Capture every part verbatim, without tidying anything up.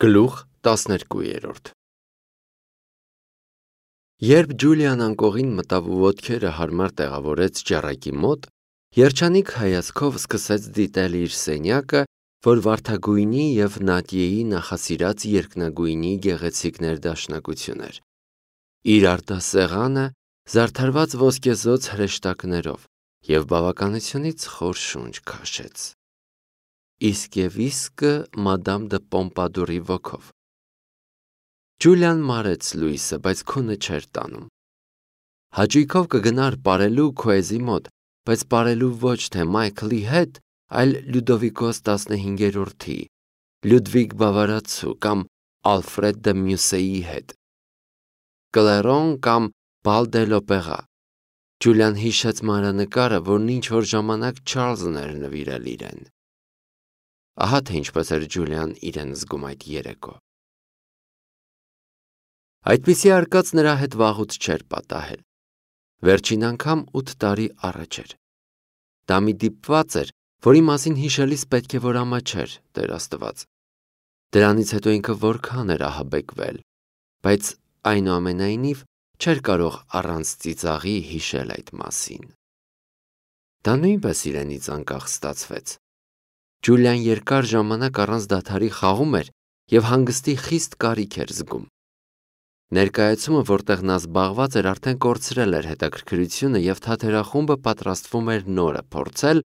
Գլուխ տասներկու Երբ Ջուլիան անկողին մտավ ու ոտքերը հարմար տեղավորեց ջեռակի մոտ, երջանիկ հայացքով սկսեց դիտել իր սենյակը, որ վարդագույնի և Նադիեի նախասիրած երկնագույնի գեղեցիկ ներդաշնակություն էր։ Իր արտասեղանը զարդարված ոսկեզօծ հրեշտակներով և բավականությունից խոր շունչ քաշեց։ Իսկ և իսկը մադամ դը Պոմպադուրի ոգով։ Ջուլիան մարեց լույսը, բայց քունը չէր տանում։ Հաճույքով կգնար պարելու քոեզի մոտ, բայց պարելու ոչ թե Մայքլի հետ, այլ Լյուդովիկոս տասնհինգերորդի, Լյուդվիգ Բավարացու կամ Ալֆրեդ դը Մյուսեի հետ, Կլերոն կամ Բալ դե l'Օպերա։ Ջուլիան հիշեց մանրանկարը, որն ինչ-որ ժամանակ Չարլզն էր նվիրել իրեն։ Ահա թե ինչպես էր Ջուլիան իրեն զգում այդ երեկո։ Այդպիսի արկած նրա հետ վաղուց չէր պատահել։ Վերջին անգամ ութ տարի առաջ էր։ Դա մի դիպված էր, որի մասին հիշելիս պետք է որ ամաչեր, Տեր Աստված։ Դրանից հետո ինքը որքան էր ահաբեկվել, բայց այնուամենայնիվ չէր կարող առանց ծիծաղի հիշել այդ մասին։ Դա նույնպես իրենից անկախ ստացվեց։ Ջուլիան երկար ժամանակ առանց դադարի խաղում էր և հանգստի խիստ կարիք էր զգում։ Ներկայացումը, որտեղ նա զբաղված էր, արդեն կորցրել էր հետաքրքրությունը և թատերախումբը պատրաստվում էր նորը փորձել,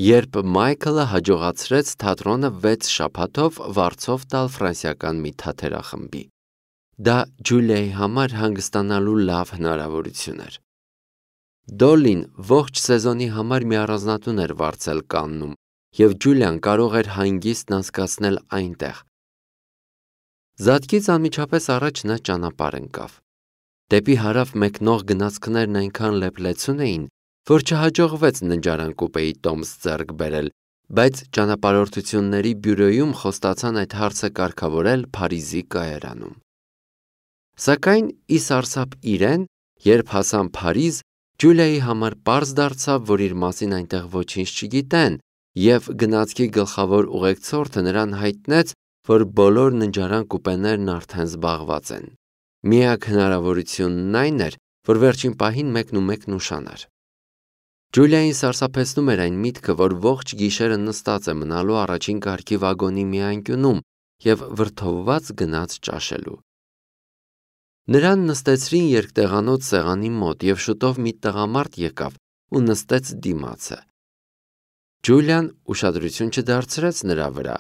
երբ Մայքլը հաջողացրեց թատրոնը վեց շաբաթով վարձով տալ ֆրանսիական մի թատերախմբի։ Դա Ջուլիայի համար հանգստանալու լավ հնարավորություն էր։ Դոլլին ողջ սեզոնի համար մի առանձնատուն էր վարձել Կաննում, և Ջուլիան կարող էր հանգիստն անցկացնել այնտեղ։ Զատկից անմիջապես առաջ նա ճանապարհ ընկավ։ Դեպի հարավ մեկնող գնացքներն այնքան լեփլեցուն էին, որ չհաջողվեց ննջարան կուպեի տոմս ձեռք բերել, բայց ճանապարհորդությունների բյուրոյում խոստացան այդ հարցը կարգավորել Փարիզի կայարանում։ Սակայն ի սարսափ իրեն, երբ հասան Փարիզ, Ջուլիայի համար պարզ դարձավ, որ իր մասին այնտեղ ոչինչ չգիտեն, և գնացքի գլխավոր ուղեկցորդը նրան հայտնեց, որ բոլոր ննջարան կուպեներն արդեն զբաղված են։ Միակ հնարավորությունն այն էր, որ վերջին պահին մեկնումեկն ուշանար։ Ջուլիային սարսափեցնում էր այն միտքը, որ ողջ գիշերը նստած է մնալու առաջին կարգի վագոնի մի անկյունում և վրդովված գնաց ճաշելու։ Նրան նստեցրին երկտեղանոց սեղանի մոտ, և շուտով մի տղամարդ եկավ ու նստեց դիմացը։ Ջուլիան ուշադրություն չդարձրեց նրա վրա։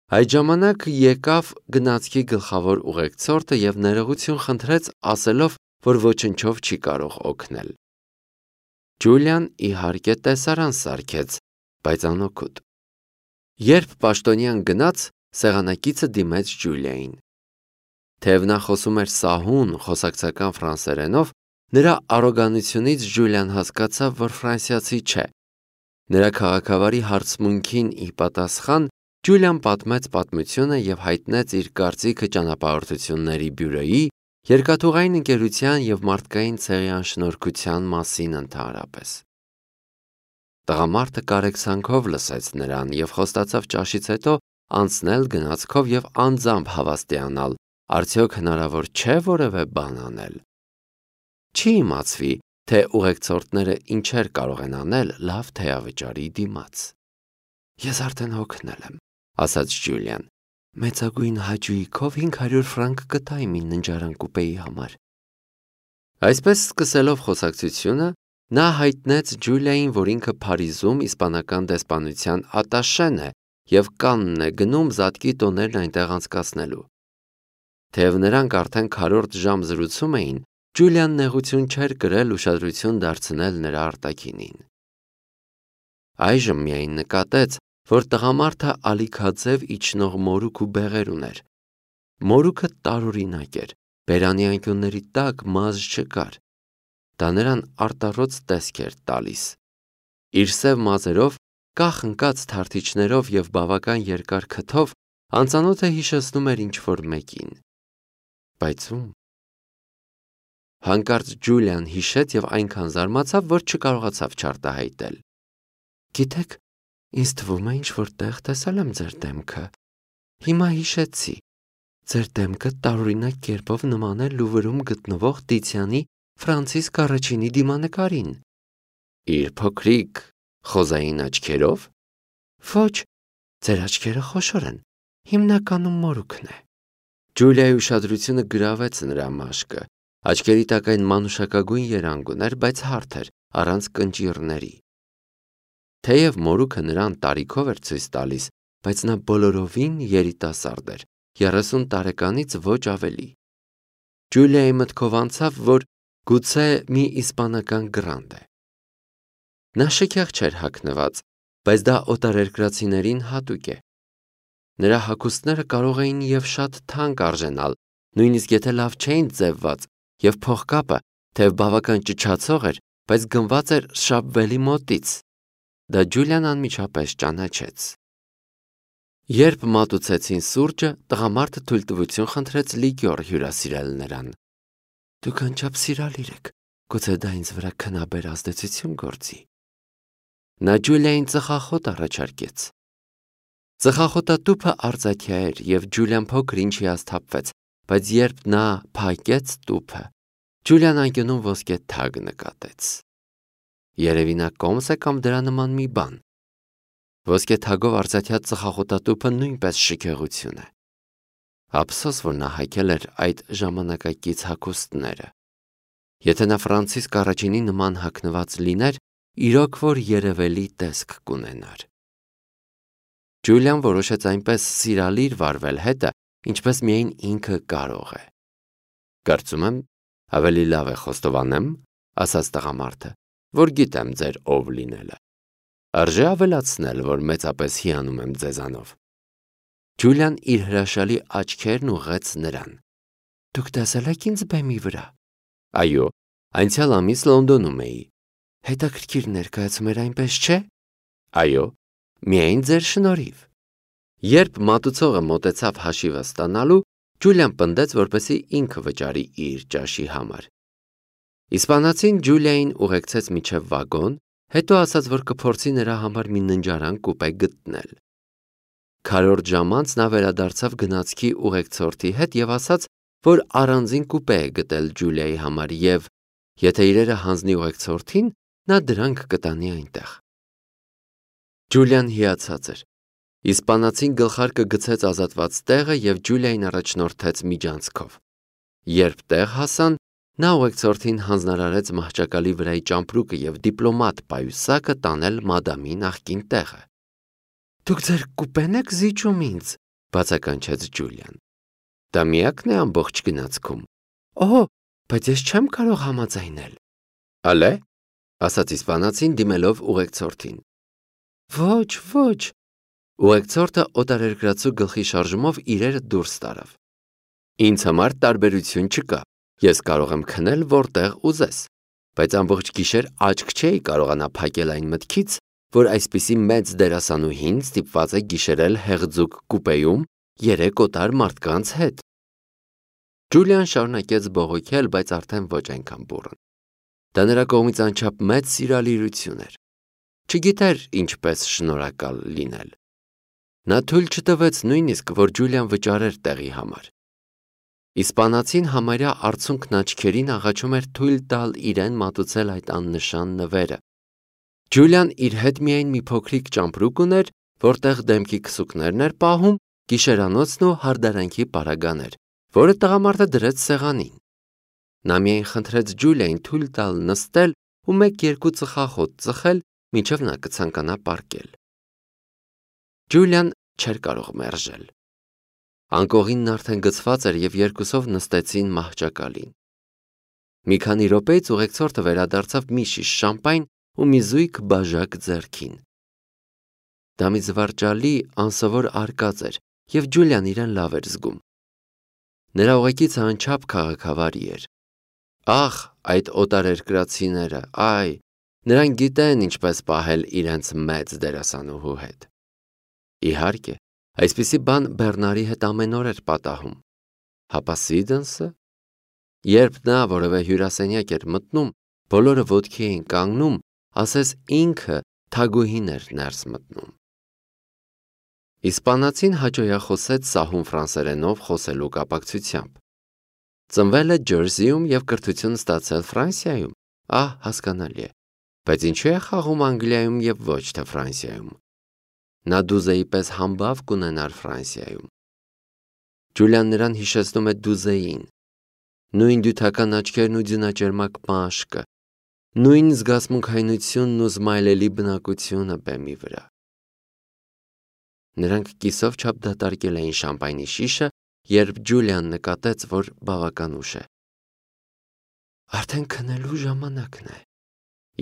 Այդ ժամանակ եկավ գնացքի գլխավոր ուղեկցորդը և ներողություն խնդրեց, ասելով, որ ոչնչով չի կարող օգնել։ Ջուլիան իհարկե տեսարան սարքեց, բայց անօգուտ։ Երբ պաշտոնյան գնաց, սեղանակիցը դիմեց Ջուլիային։ Թեև նա խոսում էր սահուն խոսակցական ֆրանսերենով, նրա առոգանությունից Ջուլիան հասկացավ, որ ֆրանսիացի չէ։ Նրա քաղաքավարի հարցմունքին ի պատասխան Ջուլիան պատմեց պատմությունը և հայտնեց իր կարծիքը ճանապարհորդությունների բյուրոյի, երկաթուղային ընկերության և մարդկային ցեղի անշնորհքության մասին ընդհանրապես։ Տղամարդը կարեկցանքով լսեց նրան և խոստացավ ճաշից հետո անցնել գնացքով և անձամբ հավաստիանալ, արդյոք հնարավոր չէ որևէ բան անել։ Չի իմացվի, թե ուղեկցորդները ինչեր կարող են անել լավ թեյավճարի դիմաց։ Ես արդեն հոգնել եմ, ասաց Ջուլիան, մեծագույն հաճույքով հինգ հարյուր ֆրանկ կտայի մի ննջարան կուպեի համար։ Այսպես սկսելով խոսակցությունը, նա հայտնեց Ջուլիային, որ ինքը Փարիզում իսպանական դեսպանության ատաշեն է և Կանն է գնում զատկի տոներն այնտեղ անցկացնելու։ Թեև նրանք արդեն քառորդ ժամ զրուցում էին, Ջուլիան նեղություն չէր կրել ուշադրություն դարձնել նրա արտաքինին։ Այժմ միայն նկատեց, որ տղամարդը ալիքաձև իջնող մորուք ու բեղեր ուներ։ Մորուքը տարօրինակ էր, բերանի անկյունների տակ մազ չկար։ Դա նրան արտառոց տեսք էր տալիս։ Իր սև մազերով, կախ ընկած թարթիչներով և բավական երկար քթով անծանոթը հիշեցնում էր ինչ-որ մեկին։ Բայց ում։ Հանկարծ Ջուլիան հիշեց և այնքան զարմացավ, որ չկարողացավ չարտահայտել։ Գիտեք, ինձ թվում է ինչ-որ տեղ տեսել եմ ձեր դեմքը։ Հիմա հիշեցի։ Ձեր դեմքը տարօրինակ կերպով նման է Լուվրում գտնվող Տիցիանի Ֆրանցիսկ առաջինի դիմանկարին։ Իր փոքրիկ խոզային աչքերով։ Ոչ, ձեր աչքերը խոշոր են, հիմնականում մորուքն է։ Ջուլիայի ուշադրությունը գրավեց նրա մաշկը, աչքերի տակ այն մանուշակագույն երանգ ուներ, բայց հարթ էր, առանց կնճիռների։ Թեև մորուքը նրան տարիքով էր ցույց տալիս, բայց նա բոլորովին երիտասարդ էր, երեսուն տարեկանից ոչ ավելի։ Ջուլիայի մտքով անցավ, որ գուցե մի իսպանական գրանդ է։ Նա շքեղ չէր հագնված, բայց դա օտարերկրացիներին հատուկ է։ Նրա հագուստները կարող էին և շատ թանկ արժենալ, նույնիսկ եթե լավ չէին ձևված, և փողկապը, թեև բավական ճչացող էր, բայց գնված էր շապվելի մոտից։ Դա Ջուլիան անմիջապես ճանաչեց։ Երբ մատուցեցին սուրճը, տղամարդը թույլտվություն խնդրեց լիկյոր հյուրասիրել նրան։ Դուք անչափ սիրալիր եք, գուցե դա ինձ վրա քնաբեր ազդեցություն գործի։ Նա Ջուլիային ծխախոտ առաջարկեց։ Ծխախոտատուփը արծաթյա էր, և Ջուլիան փոքր ինչ հիասթափվեց, բայց երբ նա փակեց տուփը, Ջուլիան անկյունում ոսկե թագ նկատեց։ Երևի նա կոմս է կամ դրա նման մի բան։ Ոսկե թագով արծաթյա ծխախոտատուփը նույնպես շքեղություն է։ Ափսոս, որ նա հագել էր այդ ժամանակակից հագուստները։ Եթե նա Ֆրանցիսկ առաջինի նման հագնված լիներ, իրոք որ երևելի տեսք կունենար։ Ջուլիան որոշեց այնպես սիրալիր վարվել հետը, ինչպես միայն ինքը կարող է։ Կարծում եմ, ավելի լավ է խոստովանեմ, ասաց տղամարդը, որ գիտեմ ձեր ով լինելը։ Արժե ավելացնել, որ մեծապես հիանում եմ ձեզանով։ Ջուլիան իր հրաշալի աչքերն ուղղեց նրան։ Դուք տեսել եք ինձ բեմի վրա։ Այո, անցյալ ամիս Լոնդոնում էի։ Հետաքրքիր ներկայացում էր, այնպես չէ։ Այո, միայն ձեր շնորհիվ։ Երբ մատուցողը մոտեցավ հաշիվը ստանալու, Ջուլիան պնդեց, որպեսզի ինքը վճարի իր ճաշի համար։ Իսպանացին Ջուլիային ուղեկցեց մինչև վագոն, հետո ասաց, որ կփորձի նրա համար մի ննջարան կուպե գտնել։ Քառորդ ժամ անց նա վերադարձավ գնացքի ուղեկցորդի հետ և ասաց, որ առանձին կուպե է գտել Ջուլիայի համար և, եթե իրերը հանձնի ուղեկցորդին, նա դրանք կտանի այնտեղ։ Ջուլիան հիացած էր։ Իսպանացին գլխարկը գցեց ազատված տեղը և Ջուլիային առաջնորդեց միջանցքով։ Երբ տեղ հասան, նա ուղեկցորդին հանձնարարեց մահճակալի վրայի ճամպրուկը և դիպլոմատ պայուսակը տանել մադամի նախկին տեղը։ Դուք ձեր կուպեն եք զիջում ինձ, բացականչեց Ջուլիան։ Դա միակն է ամբողջ գնացքում։ Օհո, բայց ես չեմ կարող համաձայնել։ Ալե, ասաց իսպանացին դիմելով ուղեկցորդին։ Ոչ, ոչ։ Ուղեկցորդը օտարերկրացու գլխի շարժումով իրերը դուրս տարավ։ Ինձ համար տարբերություն չկա։ Ես կարող եմ քնել որտեղ ուզես, բայց ամբողջ գիշեր աչք չէի կարողանա փակել այն մտքից, որ այսպիսի մեծ դերասանուհին ստիպված է գիշերել հեղձուկ կուպեում երեք օտար մարդկանց հետ։ Ջուլիան շարունակեց բողոքել, բայց արդեն ոչ այնքան բուռն։ Դա նրա կողմից անչափ մեծ սիրալիրություն էր։ Չգիտեր ինչպես շնորհակալ լինել։ Նա թույլ չտվեց նույնիսկ, որ Ջուլիան վճարեր տեղի համար։ Իսպանացին համարյա արցունքն աչքերին աղաչում էր թույլ տալ իրեն մատուցել այդ աննշան նվերը։ Ջուլիան իր հետ միայն մի փոքրիկ ճամպրուկ ուներ, որտեղ դեմքի քսուկներն էր պահում, գիշերանոցն ու հարդարանքի պարագաներ, որը տղամարդը դրեց սեղանին։ Նա միայն խնդրեց Ջուլիային թույլ տալ նստել ու մեկ-երկու ծխախոտ ծխել, մինչև նա կցանկանա պառկել։ Ջուլիան չէր կարող մերժել։ Անկողինն արդեն գցված էր և երկուսով նստեցին մահճակալին։ Մի քանի րոպեից ուղեկցորդը վերադարձավ մի շիշ շամպայն ու մի զույգ բաժակ ձեռքին։ Դա մի զվարճալի, անսովոր արկած էր, և Ջուլիան իրեն լավ էր զգում։ Նրա ուղեկիցը անչափ քաղաքավարի էր։ Ախ, այդ օտարերկրացիները, այ, նրանք գիտեն ինչպես պահել իրենց մեծ դերասանուհու հետ։ Իհարկե, այսպիսի բան Բեռնարի հետ ամեն օր էր պատահում։ Հապա Սիդենսը։ Երբ նա որևէ հյուրասենյակ էր մտնում, բոլորը ոտքի էին կանգնում, ասես ինքը թագուհին էր ներս մտնում։ Իսպանացին հաճոյախոսեց սահուն ֆրանսերենով խոսելու կապակցությամբ։ Ծնվել է Ջերսիում և կրթություն ստացել Ֆրանսիայում, ահ, հասկանալի է, բայց ինչու է խաղում Անգլիայում և ոչ թե Ֆրանսիայում։ Նա դուզեի պես համբավ կունենար Ֆրանսիայում։ Ջուլիան նրան հիշեցնում է դուզեին, նույն դյութական աչքերն ու ձյունաճերմակ մաշկը, նույն զգացմունքայնությունն ու զմայլելի բնակությունը բեմի վրա։ Նրանք կիսով չափ դատարկել էին շամպայնի շիշը, երբ Ջուլիան նկատեց, որ բավական ուշ է։ Արդեն քնելու ժամանակն է։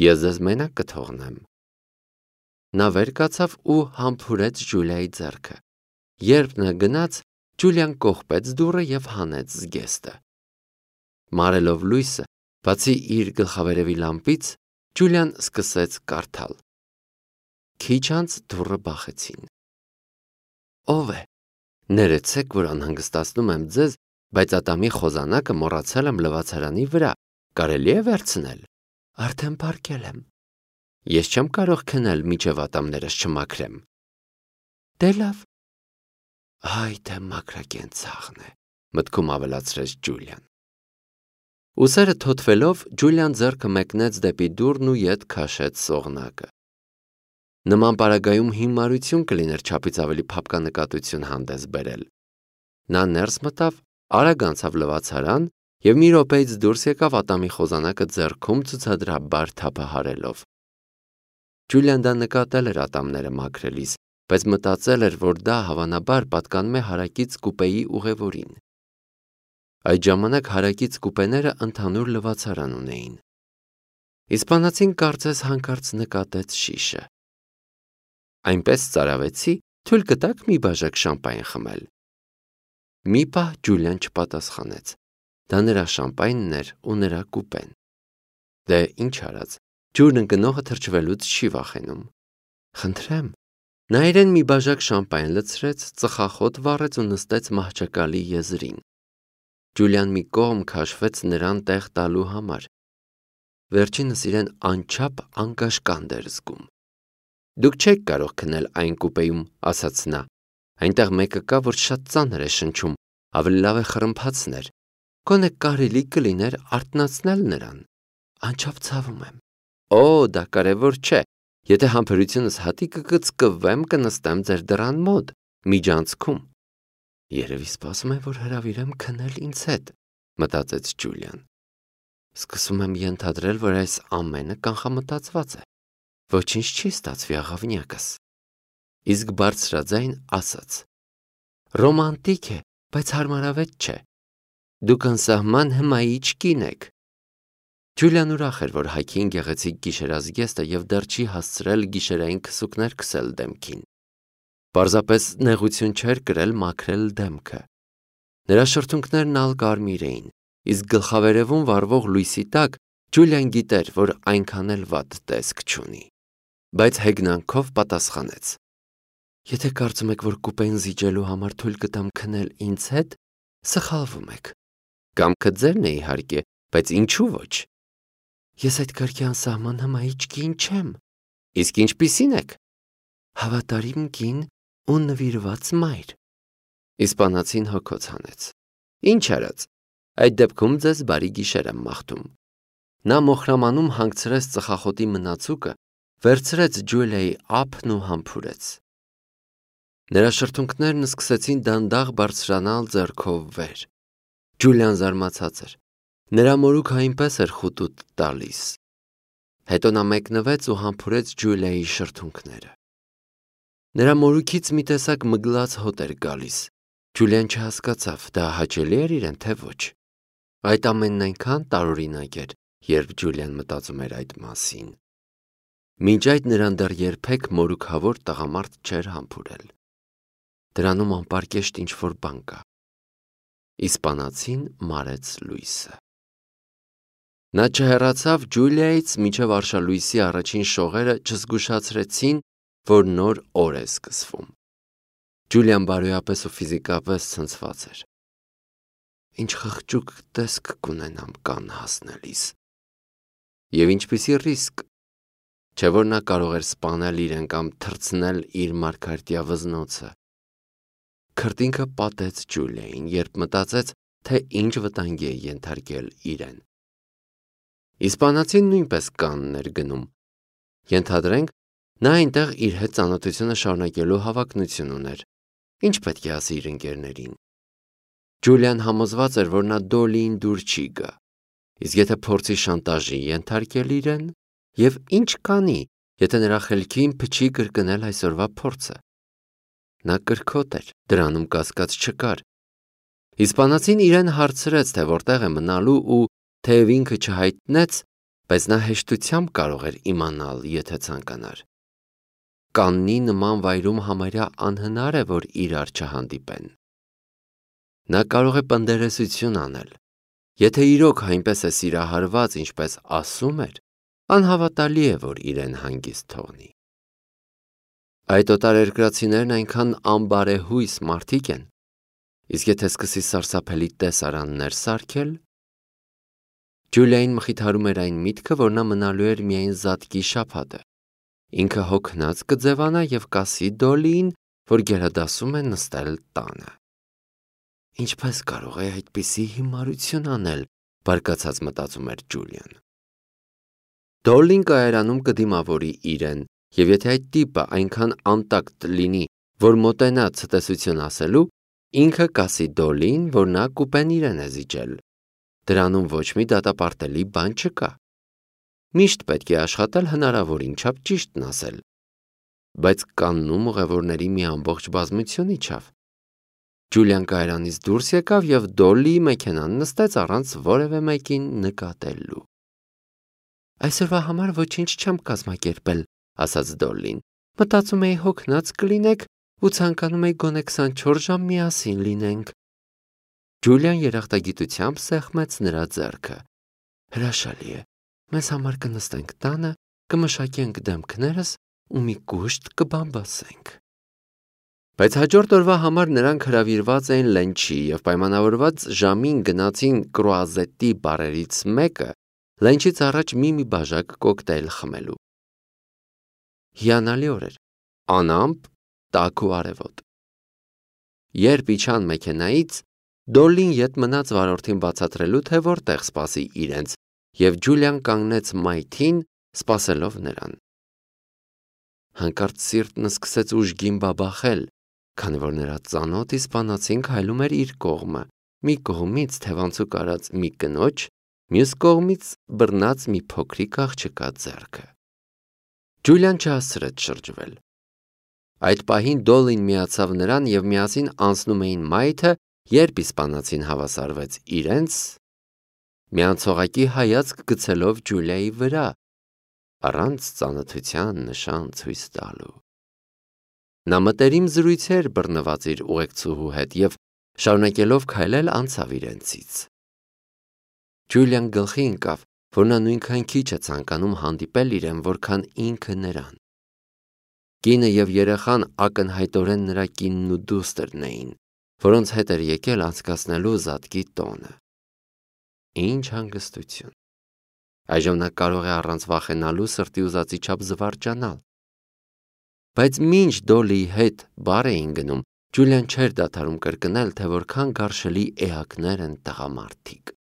Ես ձեզ մենակ կթողնեմ։ Նա վեր կացավ ու համբուրեց Ջուլիայի ձեռքը։ Երբ նա գնաց, Ջուլիան կողպեց դուռը և հանեց զգեստը։ Մարելով լույսը, բացի իր գլխավերևի լամպից, Ջուլիան սկսեց կարդալ։ Քիչ անց դուռը բախեցին։ Ո՞վ է։ Ներեցեք, որ անհանգստացնում եմ ձեզ, բայց ատամի խոզանակը մոռացել եմ լվացարանի վրա, կարելի է վերցնել։ Արդեն պառկել եմ։ Ես չեմ կարող քնել, մինչև ատամներս չմաքրեմ։ Դե լավ։ Այ դե մաքրակենցաղն է, մտքում ավելացրեց Ջուլիան։ Ուսերը թոթվելով, Ջուլիան ձեռքը մեկնեց դեպի դուռն ու ետ քաշեց սողնակը։ Նման պարագայում հիմարություն կլիներ չափից ավելի փափկանկատություն հանդես բերել։ Նա ներս մտավ, արագ անցավ լվացարան և մի րոպեից դուրս եկավ ատամի խոզանակը ձեռքում ցուցադրաբար թափահարելով։ Ջուլիան դա նկատել էր ատամները մաքրելիս, բայց մտածել էր, որ դա հավանաբար պատկանում է հարակից կուպեի ուղևորին։ Այդ ժամանակ հարակից կուպեները ընդհանուր լվացարան ունեին։ Իսպանացին կարծես հանկարծ նկատեց շիշը։ Այնպես ծարավեցի, թույլ կտաք մի բաժակ շամպայն խմել։ Մի պահ Ջուլիան չպատասխանեց։ Դա նրա շամպայնն էր ու նրա կուպեն։ Դե ինչ արած, ջուրն ընկնողը թրջվելուց չի վախենում։ Խնդրեմ։ Նա իրեն մի բաժակ շամպայն լցրեց, ծխախոտ վառեց ու նստեց մահճակալի եզրին։ Ջուլիան մի կողմ քաշվեց նրան տեղ տալու համար։ Վերջինս իրեն անչափ անկաշկանդ էր զգում։ Դուք չեք կարող քնել այն կուպեում, ասաց նա։ Այնտեղ մեկը կա, որ շատ ծանր է շնչում, ավելի լավ է խռմփացներ։ Գոնե կարելի կլիներ արթնացնել նրան։ Անչափ ցավում եմ։ Օ, դա կարևոր չէ։ Եթե համբերությունս հատի կկծկվեմ, կնստեմ ձեր դռան մոտ, միջանցքում։ Երևի սպասում է, որ հրավիրեմ քնել ինձ հետ, մտածեց Ջուլիան։ Սկսում եմ ենթադրել, որ այս ամենը կանխամտածված է։ Ոչինչ չի ստացվի, աղավնյակս։ Իսկ բարձրաձայն ասաց. Ռոմանտիկ է, բայց հարմարավետ չէ։ Դուք անսահման հմայիչ կին եք։ Ջուլիան ուրախ էր, որ հայքին գեղեցիկ գիշերազգեստը և դեռ չի հասցրել գիշերային քսուկներ քսել դեմքին։ Պարզապես նեղություն չէր կրել մաքրել դեմքը։ Նրա շրթունքներն ալ կարմիր էին, իսկ գլխավերևում վառվող լույսի տակ Ջուլիան գիտեր, որ այնքան էլ վատ տեսք չունի։ Բայց հեգնանքով պատասխանեց. Եթե կարծում եք, որ կուպեն զիջելու համար թույլ կտամ քնել ինձ հետ, սխալվում եք։ Կամքը ձերն է իհարկե, բայց ինչու ոչ։ Ես այդ կարգի անսահման հմայիչ կին չեմ։ Իսկ ինչպիսին եք։ Հավատարիմ կին ու նվիրված մայր։ Իսպանացին հոգոց հանեց։ Ինչ արած։ Այդ դեպքում ձեզ բարի գիշեր եմ մաղթում։ Նա մոխրամանում հանգցրեց ծխախոտի մնացուկը, վերցրեց Ջուլիայի ափն ու համբուրեց։ Նրա շրթունքներն սկսեցին դանդաղ բարձրանալ ձեռքով վեր։ Ջուլիան զարմացած էր։ Նրա մորուքը այնպես էր խուտուտ տալիս։ Հետո նա մեկնվեց ու համբուրեց Ջուլիայի շրթունքները։ Նրա մորուքից մի տեսակ մգլած հոտ էր գալիս։ Ջուլիան չհասկացավ, դա հաճելի էր իրեն, թե ոչ։ Այդ ամենն այնքան տարօրինակ էր, երբ Ջուլիան մտածում էր այդ մասին։ Մինչ այդ նրան դեռ երբեք մորուքավոր տղամարդ չէր համբուրել։ Դրանում անպարկեշտ ինչ-որ բան կա։ Իսպանացին մարեց լույսը։ Նա չհեռացավ Ջուլիայից, մինչև արշալույսի առաջին շողերը չզգուշացրեցին, որ նոր օր է սկսվում։ Ջուլիան բարոյապես ու ֆիզիկապես ցնցված էր։ Ինչ խղճուկ տեսք կունենամ կան հասնելիս։ Եվ ինչպիսի ռիսկ։ Չէ որ նա կարող էր սպանել իրեն կամ թռցնել իր մարգարտյա վզնոցը։ քրտինքը պատեց Ջուլիային, երբ մտածեց, թե ինչ վտանգի է ենթարկել իրեն։ Իսպանացին նույնպես կանն էր գնում։ Ենթադրենք, նա այնտեղ իր հետ ծանոթությունը շարունակելու հավակնություն ուներ։ Ինչ պետք է ասի իր ընկերներին։ Ջուլիան համոզված էր, որ նա Դոլիին դուր չի գա։ Իսկ եթե փորձի շանտաժի ենթարկել իրեն, եւ ինչ կանի, եթե նրա խելքին փչի կրկնել այսօրվա փորձը։ Նա կրքոտ էր, դրանում կասկած չկար։ Իսպանացին իրեն հարցրեց, թե որտեղ է մնալու ու թեև ինքը չհայտնեց, բայց նա հեշտությամբ կարող էր իմանալ, եթե ցանկանար։ Կաննի նման վայրում համարյա անհնար է, որ իրար չհանդիպեն։ Նա կարող է պնդերեսություն անել։ Եթե իրոք այնպես է սիրահարված, ինչպես ասում էր, անհավատալի է, որ իրեն հանգիստ թողնի։ Այդ օտարերկրացիներն այնքան անբարեհույս մարդիկ են, իսկ եթե սկսի սարսափելի տեսարաններ սարքել։ Ջուլիային մխիթարում էր այն միտքը, որ նա մնալու էր միայն զատկի շաբաթը։ Ինքը հոգնած կձևանա և կասի Դոլիին, որ գերադասում է նստել տանը։ Ինչպես կարող է այդպիսի հիմարություն անել, բարկացած մտածում էր Ջուլիան։ Դոլին կայարանում կդիմավորի իրեն, և եթե այդ տիպը այնքան անտակտ լինի, որ մոտենա ցտեսություն ասելու, ինքը կասի Դոլին, որ նա կուպեն իրեն է զիջել։ Դրանում ոչ մի դատապարտելի բան չկա։ Միշտ պետք է աշխատել հնարավորին չափ ճիշտն ասել։ Բայց կաննում ուղևորների մի ամբողջ բազմություն իջավ։ Ջուլիան կայարանից դուրս եկավ և Դոլիի մեքենան նստեց առանց որևէ մեկին նկատելու։ Այսօրվա համար ոչինչ չեմ կազմակերպել, ասաց Դոլին։ Մտածում էի հոգնած կլինեք ու ցանկանում էի գոնե քսանչորս ժամ միասին լինենք։ Ջուլիան երախտագիտությամբ սեղմեց նրա ձեռքը։ Հրաշալի է։ Մեզ համար կնստենք տանը, կմշակենք դեմքներս ու մի կուշտ կբամբասենք։ Բայց հաջորդ օրվա համար նրանք հրավիրված էին լենչի և պայմանավորված ժամին գնացին կրուազետի բարերից մեկը լենչից առաջ մի-մի բաժակ կոկտեյլ խմելու։ Հիանալի օր էր, անամպ, տաք ու արևոտ։ Երբ իջան մեքենայից, Դոլին ետ մնաց վարորդին բացատրելու, թե որտեղ սպասի իրենց, և Ջուլիան կանգնեց մայթին, սպասելով նրան։ Հանկարծ սիրտն սկսեց ուժգին բաբախել, քանի որ նրա ծանոթ իսպանացին քայլում էր իր կողմը, մի կողմից թևանցուկ արած մի կնոջ, մյուս կողմից բռնած մի փոքրիկ աղջկա ձեռքը։ Ջուլիան չհասցրեց շրջվել։ Այդ պահին Դոլին միացավ նրան և միասին անցնում էին մայթը, երբ իսպանացին հավասարվեց իրենց, միանցողակի հայացք գցելով Ջուլիայի վրա, առանց ծանոթության նշան ցույց տալու։ Նա մտերիմ զրույցեր բռնված իր ուղեկցուհու հետ և շարունակելով քայլել անցավ իրենցից։ Ջուլիան գլխի ընկավ, որ նա նույնքան քիչ է ցանկանում հանդիպել իրեն, որքան ինքը նրան։ Կինը և երեխան ակնհայտորեն նրա կինն ու դուստրն էին, որոնց հետ էր եկել անցկացնելու զատկի տոնը։ Ինչ հանգստություն։ Այժմ նա կարող է առանց վախենալու սրտի ուզածի չափ զվարճանալ։ Բայց մինչ Դոլիի հետ բար էին գնում, Ջուլիան չէր դադարում կրկնել, թե որքան գարշելի էակներ են տղամարդիկ։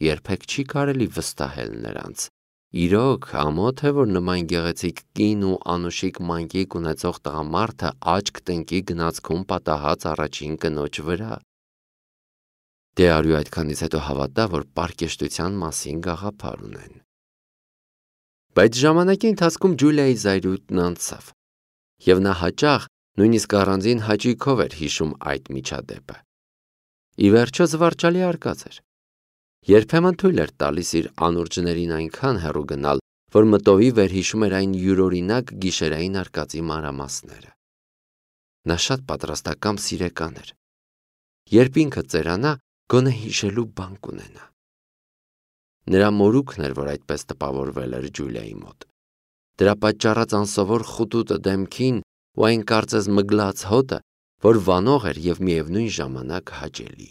Երբեք չի կարելի վստահել նրանց։ Իրոք, ամոթ է, որ նման գեղեցիկ կին ու անուշիկ մանկիկ ունեցող տղամարդը աչք տնկի գնացքում պատահած առաջին կնոջ վրա։ Դե արյու այդքանից հետո հավատա, որ պարկեշտության մասին գաղափար ունեն։ Բայց ժամանակի ընթացքում Ջուլիայի զայրույթն անցավ, և նա հաճախ, նույնիսկ առանձին հաճույքով էր հիշում այդ միջադեպը։ Ի վերջո զվարճալի արկած էր։ Երբեմն թույլ էր տալիս իր անուրջներին այնքան հեռու գնալ, որ մտովի վերհիշում էր այն յուրօրինակ գիշերային արկածի մանրամասները։ Նա շատ պատրաստակամ սիրեկան էր։ Երբ ինքը ծերանա, գոնե հիշելու բան կունենա։ Նրա մորուքն էր, որ այդպես տպավորվել էր Ջուլիայի մոտ։ Դրա պատճառած անսովոր խուտուտը դեմքին ու այն կարծես մգլած հոտը, որ վանող էր և միևնույն ժամանակ հաճելի։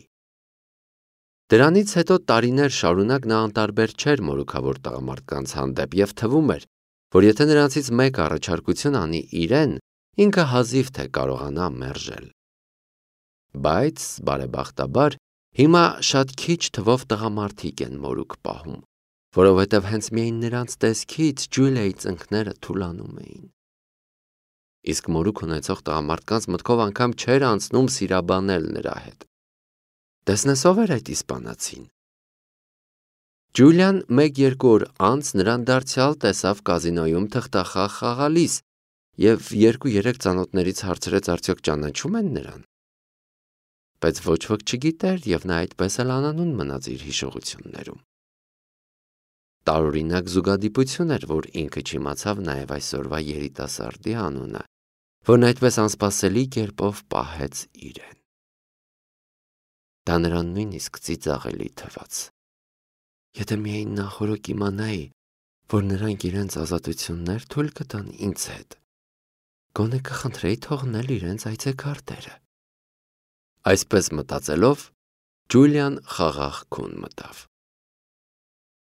Դրանից հետո տարիներ շարունակ նա անտարբեր չէր մորուքավոր տղամարդկանց հանդեպ և թվում էր, որ եթե նրանցից մեկը առաջարկություն անի իրեն, ինքը հազիվ թե կարողանա մերժել։ Բայց, բարեբախտաբար, հիմա շատ քիչ թվով տղամարդիկ են մորուք պահում, որովհետև հենց միայն նրանց տեսքից Ջուլիայի ծնկները թուլանում էին։ Իսկ մորուք ունեցող տղամարդկանց մտքով անգամ չէր անցնում սիրաբանել նրա հետ։ Տեսնես ով էր այդ իսպանացին։ Ջուլիան մեկ-երկու օր անց նրան դարձյալ տեսավ կազինոյում թղթախաղ խաղալիս և երկու-երեք ծանոթներից հարցրեց արդյոք ճանաչում են նրան։ Բայց ոչ ոք չգիտեր և նա այդպես էլ անանուն մնաց իր հիշողություններում։ Տարօրինակ զուգադիպություն էր, որ ինքը չիմացավ նաև այսօրվա երիտասարդի անունը, որն այդպես անսպասելի կերպով պահեց իրեն։ Դա նրան նույնիսկ ծիծաղելի թվաց։ Եթե միայն նախօրոք իմանայի, որ նրանք իրենց ազատություններ թույլ կտան ինձ հետ, գոնե կխնդրեի թողնել իրենց այցեքարտերը։ Այսպես մտածելով, Ջուլիան խաղաղ քուն մտավ։